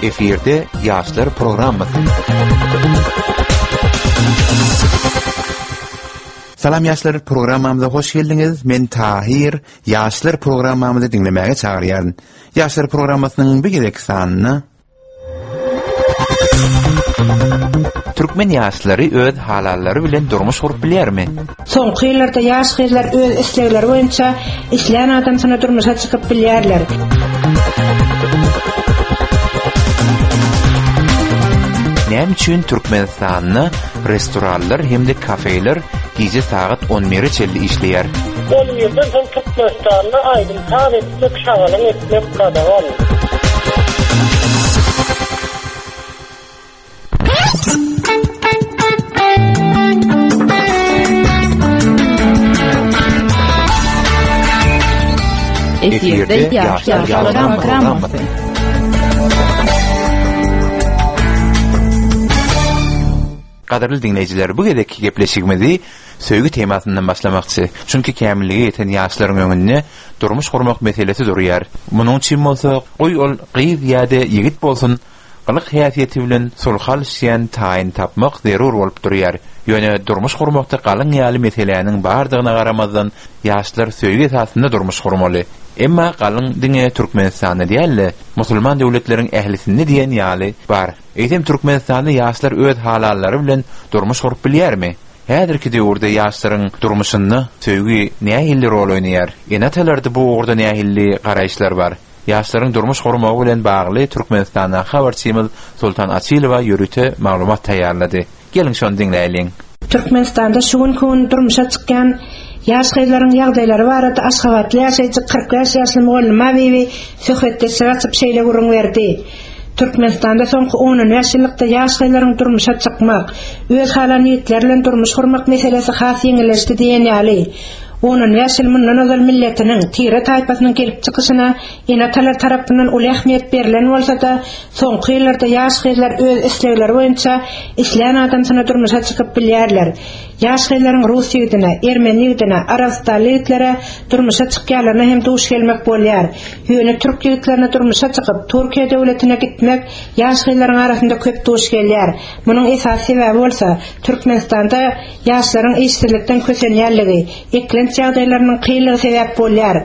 Efirde ýaşlar programmasy. Salam ýaşlar programmamyza hoş geldiňiz. Men Tahir. Ýaşlar programmamyzy diňlemäge çagyrýaryn. Ýaşlar programmasynyň bu gezek sanynda Türkmen ýaşlary öz halallary bilen durmuş gurup bilýärmi? Soňky ýyllarda ýaş gyzlar öz islegleri boýunça islän adamsyna durmuşa çykyp bilýärler. Näme üçin Türkmenistanda restoranlar hem-de kafeler gije sagat on bire çenli işleýär? On birden soň Türkmenistanda aýdym-saz etmek, şagalaň etmek gadagan. Efirde Ýaşlar programmasy. Gadyrly diňleýjiler, bu gezekki gepleşigimizi söýgi temasyndan başlamakçy. Çünki kämillige ýeten ýaşlaryň öňünde durmuş gurmak meselesi durýar. Munuň üçin bolsa, goý ol gyz ýa-da ýigit bolsun, gylyk-häsiýeti bilen sulhy alyşýan taýyny tapmak zerur bolup durýar. Ýöne durmuş gurmakda galyň ýaly meseläniň bardygyna garamazdan, ýaşlar söýgi esasynda durmuş gurmaly. Emma galyň diňe Türkmenistanda däl-de, musulman döwletleriň ählisinde diýen ýaly bar. Eýsem Türkmenistanda ýaşlar öz halallary bilen durmuş gurup bilýärmi? Häzirki döwürde ýaşlaryň durmuşynda söýgi nähili rol oýnaýar? Ene-atalarda bu ugurda nähili garaýyşlar bar? Ýaşlaryň durmuş gurmagy bilen bagly Türkmenistandaky habarçymyz Soltan Açylowa ýörite maglumat taýýarlady. Geliň şony diňläýliň. Türkmenistanda şu günki gün durmuşa çykýan ýaş gyzlaryň ýagdaýlary barada aşgabatly ýaşaýjy 45 ýaşly mugallyma Bibi söhbetdeşlik açyp şeýle gürrüň berdi, Türkmenistanda soňky on-on bäş ýyllykda ýaş gyzlaryň durmuşa çykmak, öz halan ýigitleri bilen durmuş gurmak meselesi has ýeňilleşdi diýen ýaly. On-on bäş ýyl mundan ozal milletiniň, tire-taýpasynyň gelip çykyşyna ene-atalar tarapyndan uly ähmiýet berlen bolsa-da, soňky ýyllarda ýaş gyzlar öz islegleri boýunça islän adamsyna durmuşa çykyp bilýärler. Ýaş gyzlaryň rus ýigidine, ermeni ýigidine, arabystanly ýigitlere durmuşa çykýanlaryna hem duş gelmek bolýar. Ýöne türk ýigitlerine durmuşa çykyp, Türkiýe döwletine gitmek ýaş gyzlaryň arasynda köp duş gelýär. Munuň esasy sebäbi bolsa, Türkmenistanda ýaşlaryň işsizlikden kösenýänligi, eklenç ýagdaýlarynyň kynlygy sebäp bolýar.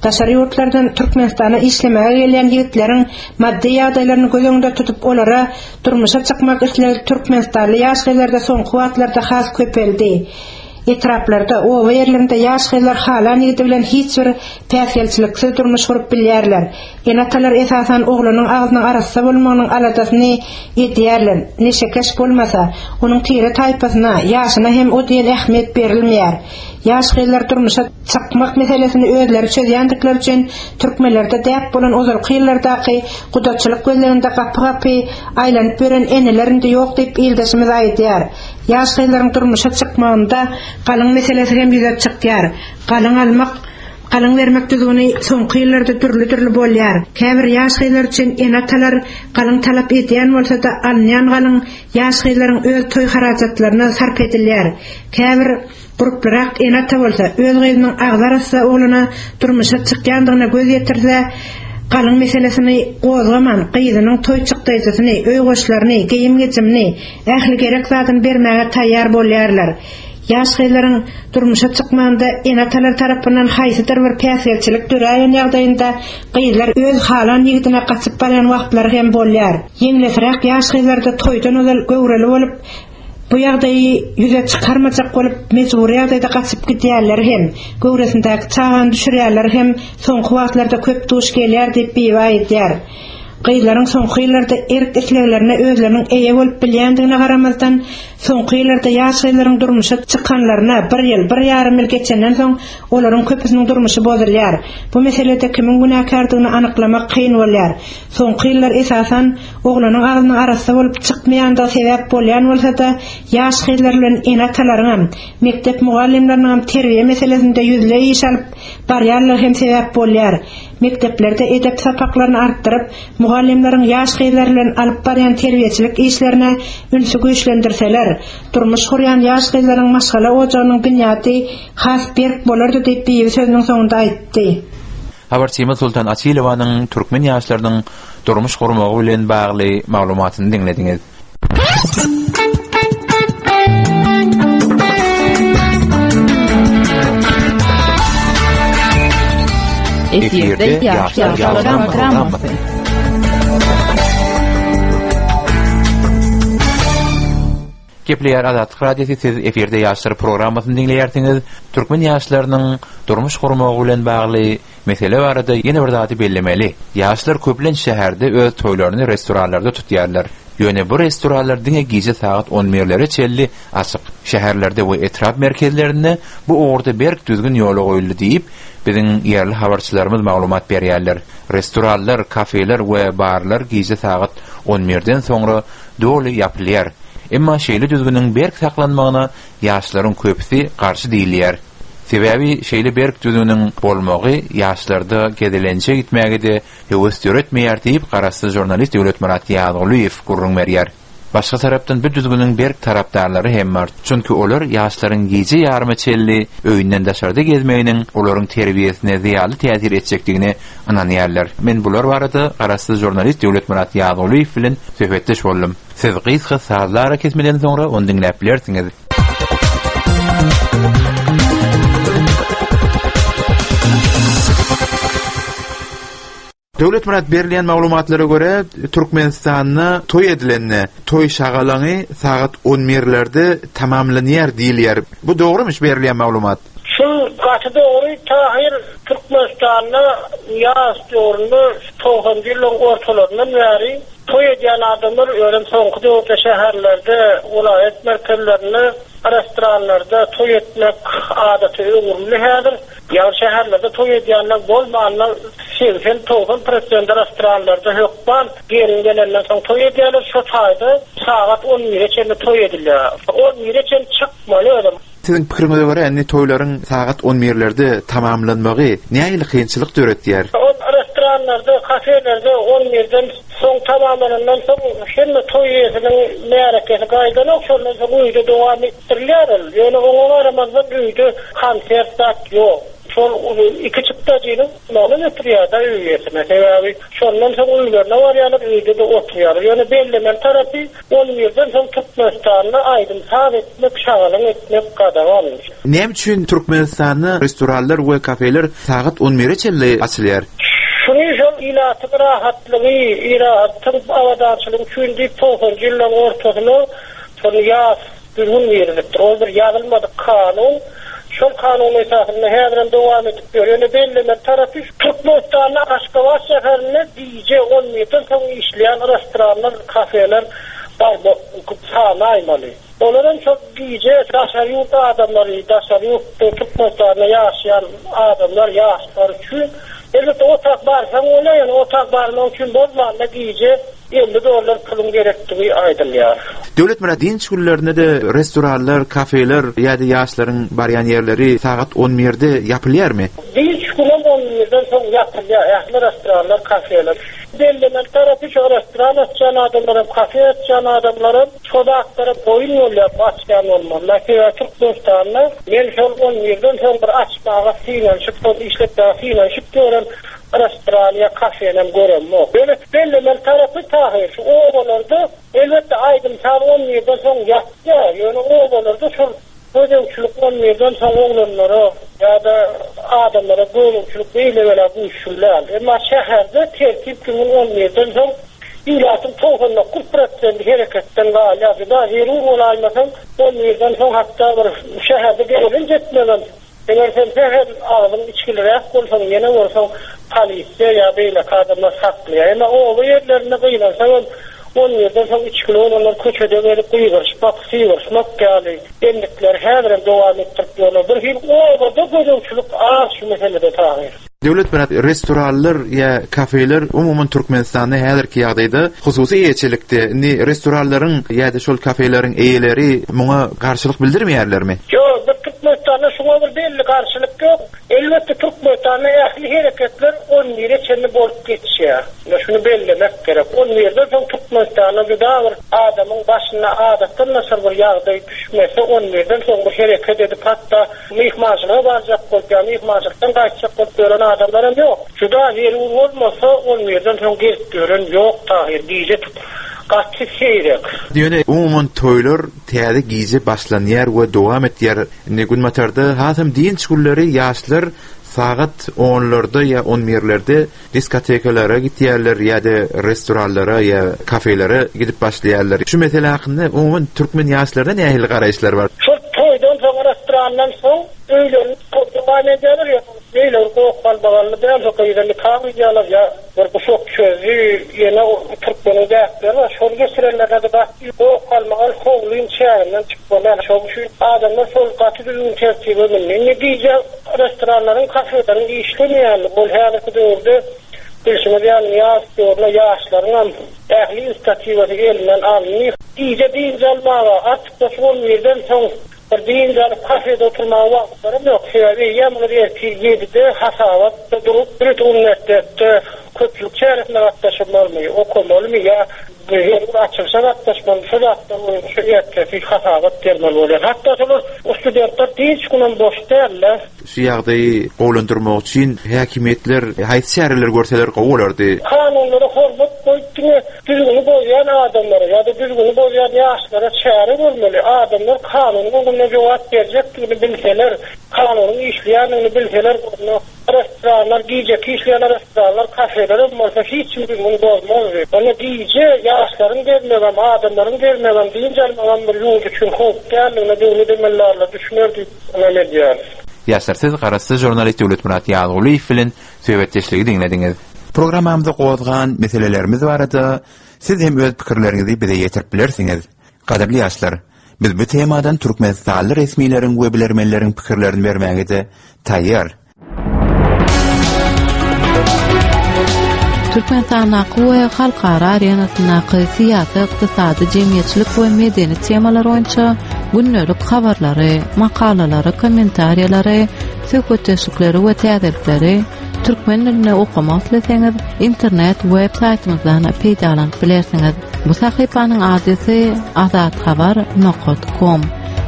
Daşary ýurtlardan Türkmenistana işlemäge gelýän ýigitleriň maddy ýagdaýlaryny göz öňünde tutup olara durmuşa çykmak islegi türkmenistanly ýaş gyzlarda soňky wagtlarda has köpeldi. Etraplarda, oba ýerlerinde ýaş gyzlar halan ýigidi bilen hiç bir päsgelçiliksiz durmuş gurup bilýärler. Ene-atalar esasan oglanyň agzynyň arassa bolmagynyň aladasyny edýärler. Neşekeş bolmasa, onuň tire-taýpasyna, ýaşyna hem o diýen ähmiýet berilmeýär. Ýaş gyzlar durmuşa çykmak meselesini özleri çözýändikleri üçin türkmenlerde däp bolan ozalky ýyllardaky gudaçylyk gözleginde gapy-gapy aýlanyp ýören eneler indi ýok diýip ildeşimiz aýdýar. Ýaş gyzlaryň durmuşa çykmagynda galyň meselesi hem ýüze çykýar. Galyň almak, galyň bermek düzgüni soňky ýyllarda dürli-dürli bolýar. Käbir ýaş gyzlar üçin ene-atalar galyň talap edýän bolsa-da, alynýan galyň ýaş gyzlaryň öz toý harajatlaryna sarp edilýär. Käbir Gurplyrak ene-ata bolsa, öz gyzynyň agzy arassa oglana durmuşa çykýandygyna göz ýetirse, galyň meselesini gozgaman, gyzynyň toý çykdaýjysyny, öý goşlaryny, geýim-gejimini, ähli gerek zadyny bermäge taýýar bolýarlar. Ýaş gyzlaryň durmuşa çykmagynda ene-atalar tarapyndan haýsydyr bir päsgelçilik döräýen ýagdaýynda gyzlar öz halan ýigidine gaçyp barýan wagtlary hem bolýar. Ýeňlesräk ýaş gyzlarda toýdan ozal göwreli bolup, Bu ýagdaýy ýüze çykarmajak bolup, mejbury ýagdaýda gaçyp gidýänleri hem, göwresindäki çagany düşürýänleri hem soňky wagtlarda köp duş gelýär diýip, Bibi aýdýar. Gyzlaryň soňky ýyllarda erk-isleglerine özleriniň eýe bolup bilýändigine garamazdan, soňky ýyllarda ýaş gyzlaryň durmuşa çykanlaryna bir ýyl, bir ýarym ýyl geçenden soň, olaryň köpüsiniň durmuşy bozulýar. Bu meselede kimiň günäkärdigini anyklamak kyn bolýar. Soňky ýyllar esasan, Oglanyň agzynyň arassa bolup çykmaýandygy sebäp bolýan bolsa-da, ýaş gyzlar bilen ene-atalaryňam, mekdep mugallymlarynyňam terbiýe meselesinde ýüzleý iş alyp barýanlygy hem sebäp bolýar. Mekdeplerde edep sapaklaryny artdyryp, mugallymlaryň ýaş gyzlar bilen alyp barýan terbiýeçilik işlerine ünsi güýçlendirseler, durmuş gurýan ýaş gyzlaryň maşgala ojagynyň binýady has berk bolardy diýip, Bibi sözüniň soňunda aýtdy. Habarçymyz Sultan Açylowanyň türkmen ýaşlarynyň durmuş gurmagy bilen bagly maglumatyny diňlediňiz. Efirde ýaşlar programmasy. Gepleýär Azatlyk Radiosy siz efirde ýaşlar programmasyny diňleýärsiňiz. Türkmen ýaşlarynyň durmuş gurmagy bilen bagly mesele barada ýene bir zady bellemeli. Ýaşlar köplenç şäherde öz toýlaryny restoranlarda tutýarlar. Ýöne bu restoranlar diňe gije sagat on birlere çenli açyk. Şäherlerde we etrap merkezlerinde bu ugurda berk düzgün ýola goýuldy diýip, biziň ýerli habarçylarymyz maglumat berýärler. Restoranlar, kafeler we barlar gije sagat on birden soňra doly ýapylýar. Emma şeýle düzgüniň berk saklanmagyna ýaşlaryň köpüsi garşy diýilýär. Sebäbi şeýle berk düzgüniň bolmagy ýaşlarda gezelenje gitmäge-de höwes döretmeýär diýip, garaşsyz žurnalist Döwletmyrat Ýazgulyýew gürrüň berýär. Başga tarapdan bu düzgüniň berk tarapdarlary hem bar. Çünki olar ýaşlaryň gije ýaryma çenli öýünden daşarda gezmeginiň olaryň terbiýesine zyýanly täsir etjekdigine ynanýarlar. Men bular barada garaşsyz žurnalist Döwletmyrat Ýazgulyýew bilen söhbetdeş boldum. Siz gysga sazly arakesmeden soňra ony diňläp bilersiňiz. Döwletmyrat berilýän maglumatlara görä, Türkmenistanda toý edilende, toý şagalaňy sagat on birlerde tamamlanýar diýilýär. Bu dogrumyş berilýän maglumat? Şu gaty dogry Tahyr Türkmenistanda ýaş döwründe togsanjy ýyllaryň ortalaryndan bäri toý edýän adamlar özem soňky döwürde şäherlerde welaýat merkezlerinde restoranlarda toý etmek adata öwrüldi häzir. Ýagny şäherlerde toý edýänler bolmanda 80-90 prosenti restoranlarda hökman gelin gelenden soň toý edýärler. Şo taýda sagat on bire çenli toý edilýär. On bire çenli çykmaly özem. Siziň pikiriňize görä indi toýlaryň sagat on birlerde tamamlanmagy nähili kynçylyk döretýär? Ol restoranlarda, kafelerde on birden soň tamamlanandan soň hemme toý eýesiniň märekesi gaýdanok, şondan soň öýde dowam etdirilýär ol. Ýöne oňa garamazdan öýde konsert zat ýok. Şol iki çykdajynyň bolmagyna getirýär-de öý eýesine. Sebäbi şondan soň öýlerine barýarlar, öýde-de oturýarlar. Ýöne bellemeli tarapy, on birden soň Türkmenistanda aýdym-saz etmek, şagalaň etmek gadagan. Näme üçin Türkmenistanda restoranlar we kafeler sagat on bire çenli açylýar? Şuny şol ilatyň rahatlygy, ilatyň abadançylygy üçin diýip togsanjy ýyllaryň ortasyna şol ýas düzgün girizipdir. Ol bir ýazylmadyk kanun. Şol kanun esasynda häzirem dowam edip ýör. Ýöne bellemeli tarapy, Türkmenistanda Aşgabat şäherinde gije on birden soň işleýän restoranlar, kafeler bar, sanaýmaly. Olaram şol gije daşary ýurt adamlary, daşary ýurtda Türkmenistanda ýaşaýan adamlar, ýaşlar üçin, elbetde otag barsaň bolýar, ýöne otag barmak üçin bolmanda gije 50 dollar puluň gerekdigi aýdylýar. Döwletmyrat, dynç günlerinde-de restoranlar, kafeler ýa-da ýaşlaryň barýan ýerleri sagat on birde ýapylýarmy? Dynç günem on birden soň ýapylýar ähli restoranlar, kafeler. Bellemeli tarapy şo restoran açýan adamlaram, kafe açýan adamlaram Şo zatlara boýun bolýar bu açýan bolmalylar. Sebäbi Türkmenistanda men şol on birden soň bir açmaga synanyşyp, şony işletmäge synanyşyp ýören restoran ýa kafenem göremok. Ýöne bellemeli tarapy Tahyr, şu obalarda elbetde aýdym-saz on birden soň ýatýar, ýöne obalarda şol Gözegçilik on birden soň oglanlara ýa-da adamlara gözegçilik beýle bela güýçli däl. Emma şäherde tertip düzgün on birden soň ilatyň 99 prosenti hereketden galýar. Juda zerur bolaýmasaň on birden soň hatda bir şäherde gezelenç etmegem Eger sen sähel agzyň içgiliräk bolsaň, ýene bolsaň polisiýa ýa beýleki adamlar saklaýar. Emma oba ýerlerinde gynansagam on birden soň içgili bolanlar köçede gezip gygyryşmak, sygyryşmak ýaly endikleri häzirem dowam etdirip ýörler. Bir hili obada gözegçilik az şu meselede Tahyr. Döwletmyrat, restoranlar ýa kafeler umuman Türkmenistanda häzirki ýagdaýda hususy eýeçilikde. Indi restoranlaryň ýa-da şol kafeleriň eýeleri muňa garşylyk bildirmeýärlermi? Ýok, bir Türkmenistanda. Türkmenistanda şuňa bir belli garşylyk ýok. Elbetde Türkmenistanda ähli hereketler on bire çenli bolup geçýär. Ine şuny bellemek gerek. On birden soň Türkmenistanda juda bir adamyň başyna adatdan daşary bir ýagdaý düşmese on birden soň bir hereket edip hatda myhmançylyga barjak bolup ýa myhmançylykdan gaýtjak bolup ýören adamlar hem ýok. Juda zerur bolmasa on birden soň gezip ýören ýok Tahyr gije gaty seýrek. Ýöne umuman toýlar täze gije başlanýar we dowam etýär. Indi günbatarda hasam dynç günleri ýaşlar sagat onlarda ýa on birlerde diskotekalara gitýärler ýa-da restoranlara ýa kafelere gidip başlaýarlar. Şu mesele hakynda umuman türkmen ýaşlaryna nähili garaýyşlar bar? Şol toýdan soň restorandan soň öýlerinde toý dowam edýärler ýa beýle bir goh-galmagally däl şo gyza nika gyýýarlar ýa bir guşak çözdi ýene türkmeniň däpleri bar şony geçirenlerine-de gaty goh-galmagal howlyň çäginden çykmaly şoň üçin adamlar şol gaty düzgün tertibe mündi. Indi gije Restoranlaryň, kafeleriň işlemeýänligi, ol häzirki döwürde bilşiňiz ýaly Nyýazow döwründe ýaşlaryňam ähli inisiatiwasy elinden alyndy. Gije dynç almaga, artykmaç on birden soň bir dynç alyp kafede oturmaga wagtlaram ýok. Sebäbi eýýäm olar ertir ýedide hasabatda durup, bir uniwersitetde köpçülik çäresine gatnaşmalymy, okamalymy ýa Zerur açylyşa gatnaşmaly, şu zatlar boýunça ertesi hasabat bermeli bolýar. Hatda şolar studentler dynç günem boş däl-de. Şu ýagdaýy gowulandyrmak üçin häkimiýetler haýsy çäreleri görseler gowy bolardy? Kanunlara hormat goýup diňe düzgüni bozýan adamlara ýa-da düzgüni bozýan ýaşlara çäre görmeli. Adamlar kanunyň öňünde jogap berjekdigini bilseler, kanunyň işleýändigini bilseler onda Restoranlar, gijeki işleýän restoranlar, kafelerem bolsa hiç kim düzgün bozmazdy. Onda gije ýaşlaryň gezmegem, adamlaryň gezmegem, dynç almagam bir ýurt üçin howp däldigine döwlet emeldarlary düşüner diýip ynam edýäris. Ýaşlar siz Garaşsyz žurnalist Döwletmyrat Ýazgulyýew bilen söhbetdeşligi diňlediňiz. Programmamyzda gozgan meselelerimiz barada siz hem öz pikirleriňizi bize ýetirip bilersiňiz. Gadyrly ýaşlar, biz bu temadan türkmenistanly resmileriň we bilermenleriň pikirlerini bermäge-de taýýar. Türkmenistandaky we halkara arenasyndaky syýasy, ykdysady, jemgyýetçilik we medeni temalar boýunça gündelik habarlary, makalalary, kommentariýalary, söhbetdeşlikleri we täzelikleri türkmen dilinde okamak isleseňiz, internet web saýtymyzdan peýdalanyp bilersiňiz. Bu sahypanyň adresi azathabar nokat kom.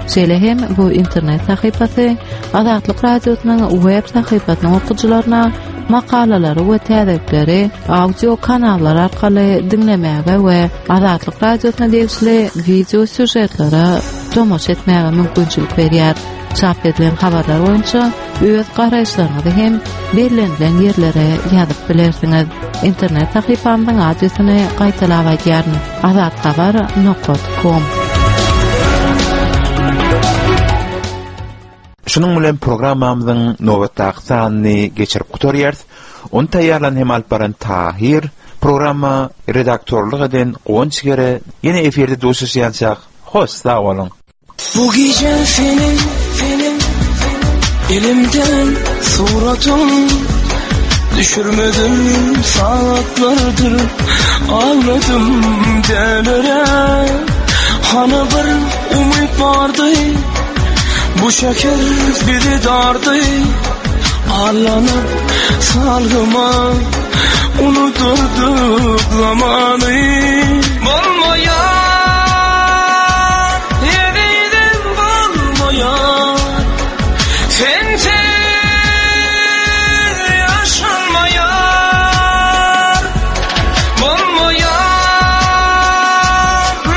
Şeýle hem bu internet sahypasy Azatlyk Radiosynyň web sahypasynyň okyjylaryna makalalary we täzelikleri audio kanallar arkaly diňlemäge we Azatlyk Radiosyna degişli wideo sýužetlere tomaşa etmäge mümkinçilik berýär. Çap edilen habarlar boýunça öz garaýyşlaryňyzy hem bellenilen ýerlere ýazyp bilersiňiz. Internet sahypamyzyň adresini gaýtalap aýdýaryn, azathabar nokat kom. Şunuň bilen programmamyzyň nobatdaky sanyny geçirip gutarýarys. Ony taýýarlan hem alyp baran Tahyr, programma redaktorlyk eden Guwanç Gere. Ýene efirde duşuşýançak, hoş sag boluň! Bu gije senin, senin Elimden suratın Düşürmedim saatlardır Ağladım delere Hani bir umut vardı Bu şeker bizi dardı Arlanıp salgıma Unuturduk zamanı Bolmaýar Ezizim bolmaýar Sensiz ýaşalmaýar Bolmaýar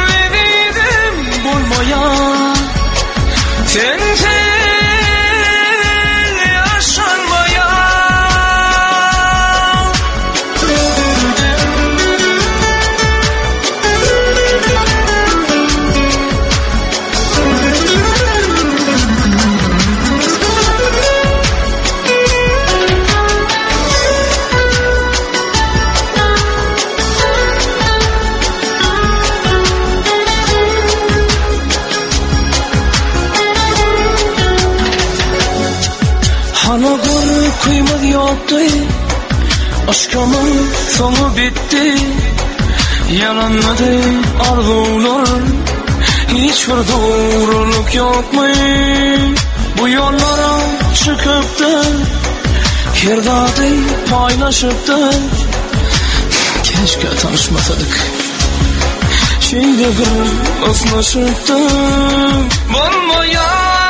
Ezizim bolmaýar Sensiz ýaşalmaýar. Hana gorkymyz ýokdy Yşkymyň soňy bitdi Ýalanmady arzuwlar Hiç bir dogrulyk ýokmy? Bu ýollara çykypdy Her zady paýlaşypdy Keşke tanyşmasadyk Şeýle bir ysnyşypdyk Bolmaýar.